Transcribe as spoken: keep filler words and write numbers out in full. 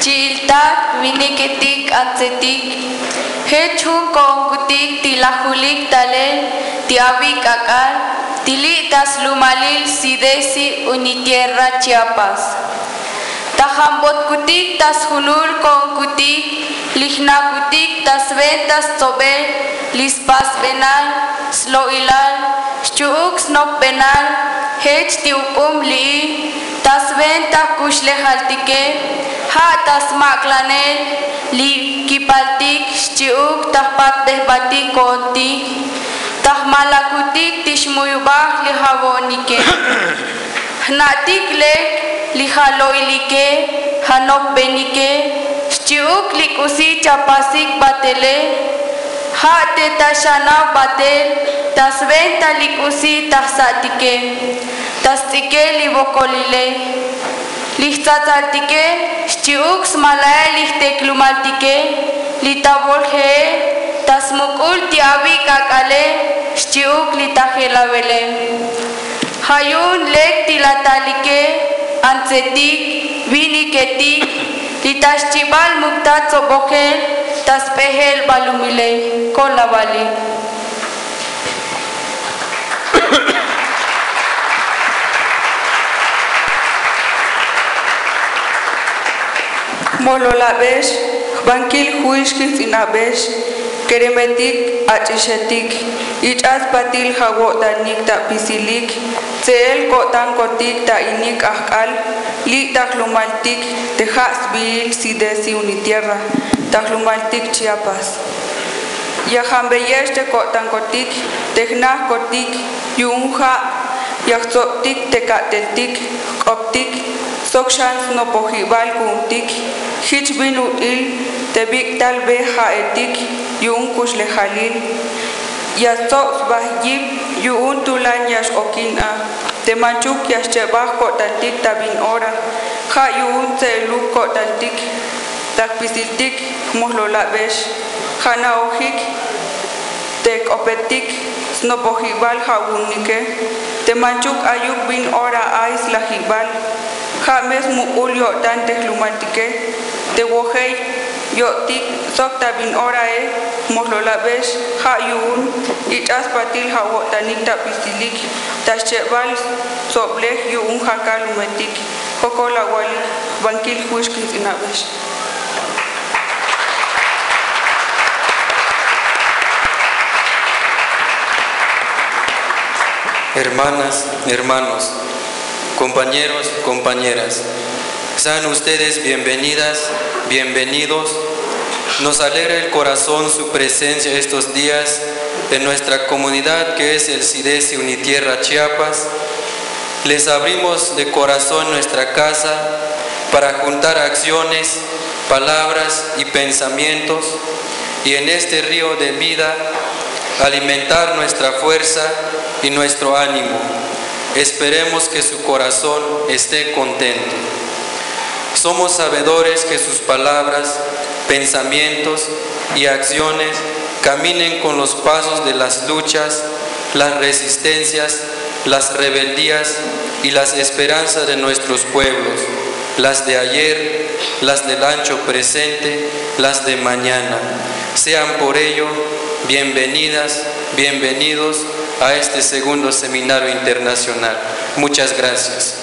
Chi'iltak, winiketik, antsetik, jech jun ko'onkutik ti' lajulik talel ti' awik' ak'al ti' li' ta slumalil CIDESI Unitierra Chiapas. Ta jambotkutik ta sjunul ko'onkutik, li jna'kutik ta swenta stsobel li spasbenal, slo'ilal, xchi'uk snopbenal jech ti' uk'um li'i ta swenta jkuxlejaltike, ja' ta smak'lanel li kipaltik xchi'uk ta jpatbejbatik ko'ontik, ta jmalakutik ti' xmuyubaj li jawa'onike. Jna'tik lek li jalo'ilike, janopbenike, xchi'uk li k'usi chapasik batele, ja' te ta xanaw batel ta swenta li k'usi ta jsa'tike, ta sts'ikel li wokolile, li jtsatsaltike, xchi'uk smalael li jteklumaltike, li ta wolje'el ta smuk'ul ti' awik' ak'ale, xchi'uk li ta jelawele. Ja' yu'un lek ti' la talike, antsetik, winiketik, li ta xchibal muk' ta tsobojel ta sp'ejel balumile. Kolawalik. Jmojlolab'ex, jbankil juy xkijts'inab'ex, keremetik, ach'ixetik, ich'a spatil ja' awo'tanik ta apisilik, tse'el ko'tankotik ta inik ajk'al li' ta jlumaltik te ja' sbiil CIDESI Unitierra ta jlumaltik Chiapas. Ya jambeyex te ko'tankotik te jnajkotik yu'un ja' ya jtsobtik te ka'teltik, jk'optik sok xan snopojib'al ku'untik, jich bin ut'il te bik'talb'ej ja'etik yu'un kuxlejalil. Ya stsob sba yip yu'un tulan ya x-okin a, te manchuk ya xcheb'aj ko'tantik ta bin ora, ja' yu'un tse'eluk ko'tantik ta jpisiltik. Jmojlolab'ex, ja' ana'ojik te jk'opetik snopojib'al ja' wu'unike, te manchuk ayuk bin ora ay slajib'al, ja' me smuk'ul yo'tan te jlumaltike, te wojel yo'tik sok ta bin orae. Jmojlolab'ex, ja' yu'un ich'a spatil ja' awo'tanik ta apisilik ta xcheb'al stsoblej yu'un ja' kalumetik. Jokol awalik, jbankil juy xkijts'inab'ex. Hermanas, hermanos, compañeros, compañeras, sean ustedes bienvenidas, bienvenidos. Nos alegra el corazón su presencia estos días en nuestra comunidad que es el CIDESI Unitierra Chiapas. Les abrimos de corazón nuestra casa para juntar acciones, palabras y pensamientos, y en este río de vida alimentar nuestra fuerza y nuestro ánimo. Esperemos que su corazón esté contento. Somos sabedores que sus palabras, pensamientos y acciones caminen con los pasos de las luchas, las resistencias, las rebeldías y las esperanzas de nuestros pueblos, las de ayer, las del ancho presente, las de mañana. Sean por ello bienvenidas, bienvenidos a este segundo seminario internacional. Muchas gracias.